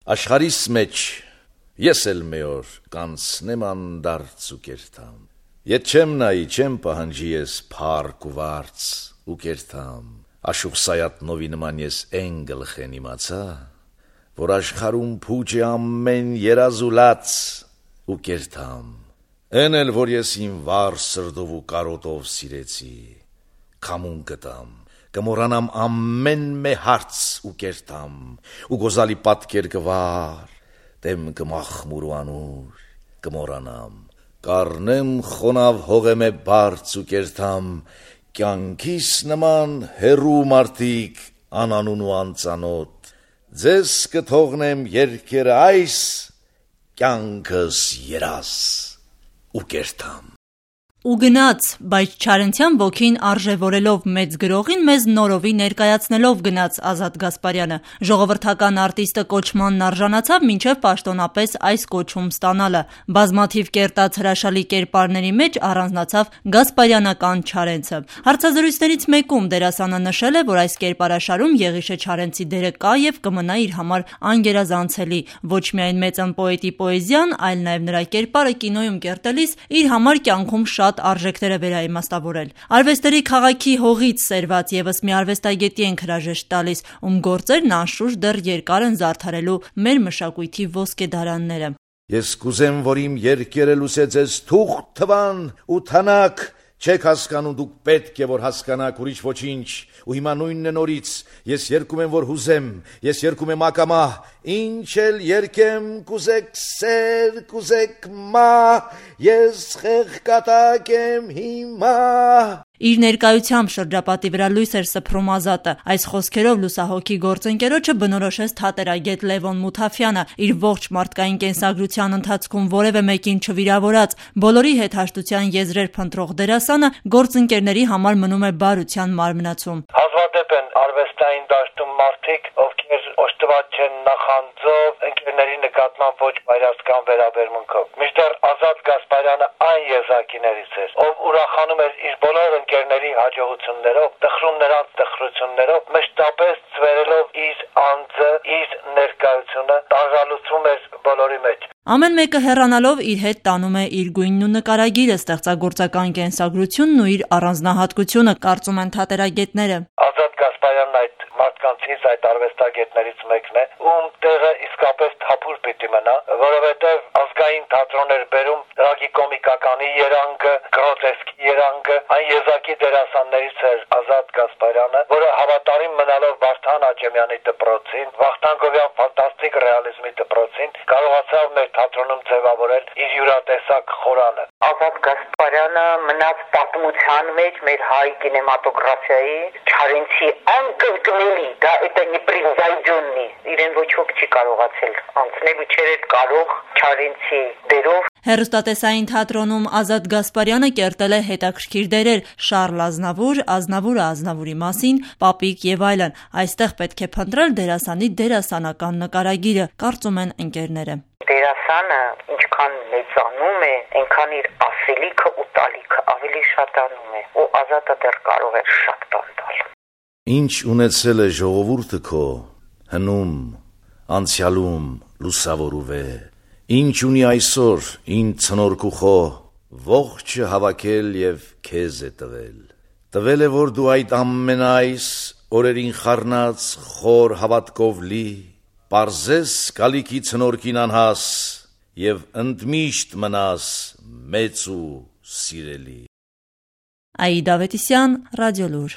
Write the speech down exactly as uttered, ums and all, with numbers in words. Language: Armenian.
Աշխարհիս մեջ ես էլ մի օր կանցնեմ անդարձ ու կերտամ, Ետ չեմ նայի, չեմ պահանջի ես փառք ու վարձ ու կերտամ, Աշուխ Սայաթնովի նման ես էն գլխեն իմացա, Որ աշխարհում փուչ է ամեն երազուլած ու կերտամ, Էն էլ որ ես իմ վառ սրտով ու կարոտով սիրեցի, Քամուն գտամ, կմոռանամ ամեն մե հարց ու կերտամ, Ու գոզալի պատկեր կվար, դեմ կմախմուր ու անուր, կմոռանամ, Կառնեմ խոնավ հողեմ է բարձ ու կերտամ, Կյանքիս նման հեռու մարդիկ անանուն ու անծանոթ, Ձեզ կթողնեմ երգերը այս, կյանքս երաս ու կերտամ։ Ու գնաց, բայց Չարենցյան ոգին արժևորելով մեծ գրողին մեզ նորովի ներկայացնելով գնաց Ազատ Գասպարյանը։ Ժողովրդական արտիստը կոչմանն արժանացավ մինչև պաշտոնապես այս կոչում ստանալը։ Բազմաթիվ կերտած հրաշալի կերպարների մեջ առանձնացավ Գասպարյանական Չարենցը։ Հարցազրույցներից մեկում դերասանը նշել է, որ այս կերպարաշարում Եղիշե Չարենցի դերը կա եւ կմնա իր համար անգերազանցելի։ Ոչ միայն մեծն պոետի պոեզիան, այլ նաեւ նրա կերպարը կինոյում կերտելիս իր համար կյանքում շատ արժեքներ է վերաիմաստավորել։ Արվեստերի քաղաքի հողից սերված եւս մի արվեստագետի ենք հրաժեշտ տալիս, ում գործերն անշուշտ դեռ երկար են զարդարելու մեր մշակույթի ոսկեդարանները։ Ես կուզեմ, որ իմ երկերը լուսե ձեզ թուղթ թվան ու թանաք, Չեք հասկանում, դուք պետք է որ հասկանաք ուրիշ ոչինչ, ու հիմա նույնն է նորից, ես երգում եմ, որ հուզեմ, ես երգում եմ ակամա, ինչ էլ երգեմ, կուզեք սեր, կուզեք մահ, ես խեղկատակ եմ հիմա։ Իր ներկայությամբ շրջապատի վրա լույս էր սփռում Ազատը։ Այս խոսքերով լուսահոգի գործընկերոջը բնորոշեց թատերագետ Լևոն Մութաֆյանը, իր ողջ մարդկային կենսագրության ընթացքում որևէ մեկին չվիրավորած, բոլորի հետ հաշտության եզրեր փնտրող դերասանը գործընկերների համար մնում է բարության մարմնացում։ Հազվադեպ են արվեստային դաշտում մարդիկ, ովքեր օժտված չեն նախանձով, ընկերների նկատմամբ ոչ բայրասկան վերաբերմունքով։ Մինչդեռ Ազատ Գասպարյանը այն եզակիներից էր, ով ուրախանում էր իր բոլոր ընկերների հաջողություններով, տխրում նրանց տխրություններով, մշտապես ծվերելով իր անձը, իր ներկայությունը, տարժալուցում էր բոլորի մեջ։ Ամեն մեկը հեռանալով իր հետ տանում է իր գույնն ու նկարագիրը, ստեղծագործական կենսագրությունն ու իր առանձնահատկությունը, կարծում են թատերագետները։ Ազատ Գասպարյանն այդ մարդկանցից, այդ արվեստագետներից մեկն է, ում տեղը իսկապես թափուր պիտի մնա, որովհետև ազգային թատրոն էր բերում տրագիկոմիկականի երանգը, գրոտեսկի երանգը, այն եզակի դերասաններից էր Ազատ Գասպարյանը, որը հավատարիմ մնալով Վարդան Աճեմյանի դպրոցին, Վախթանգովյան ֆանտաստիկ ռեալիզմի դպրոցին, կարողացավ մեր թատրոնում ձևավորել իր յուրատեսակ խորանը։ Ազատ Գասպարյանը մնաց պատմության մեջ մեր հայ կինեմատոգրաֆիայի Չարենցի անկրկնելի, դա это непревзойденный, իրեն ոչ ոք չի կարողացել անցնել ու չէր կարող Չարենցի դերով։ Հեռուստատեսային թատրոնում Ազատ Գասպարյանը կերտել է հետաքրքիր դերեր՝ Շառլ Ազնավուր, Ազնավուրը Ազնավուրի մասին, Պապիկ եւ այլն։ Այստեղ պետք է փնտրել դերասանի դերասանական նկարագիրը, կարծում են ընկերները։ Դերասանը ինչքան մեծանում է, այնքան իր ասելիքը ու տալիքը ավելի շատանում է, ու Ազատը դեռ կարող է շատ բան տալ։ Ինչ ունեցել է ժողովուրդը քո, հնում, անցյալում լուսավորուվ է, Ինչ ունի այսօր, ինձ ցնորքուխո, ողջը հավաքել եւ քեզ է տվել։ Տվել է, որ դու այդ ամենայս օրերին խառնած խոր հավատքով լի, պարզես կալիքի ցնորքին անհաս եւ ընդմիշտ մնաս մեծ ու սիրելի։ Աիդա Ավետիսյան, Ռադիոլուր։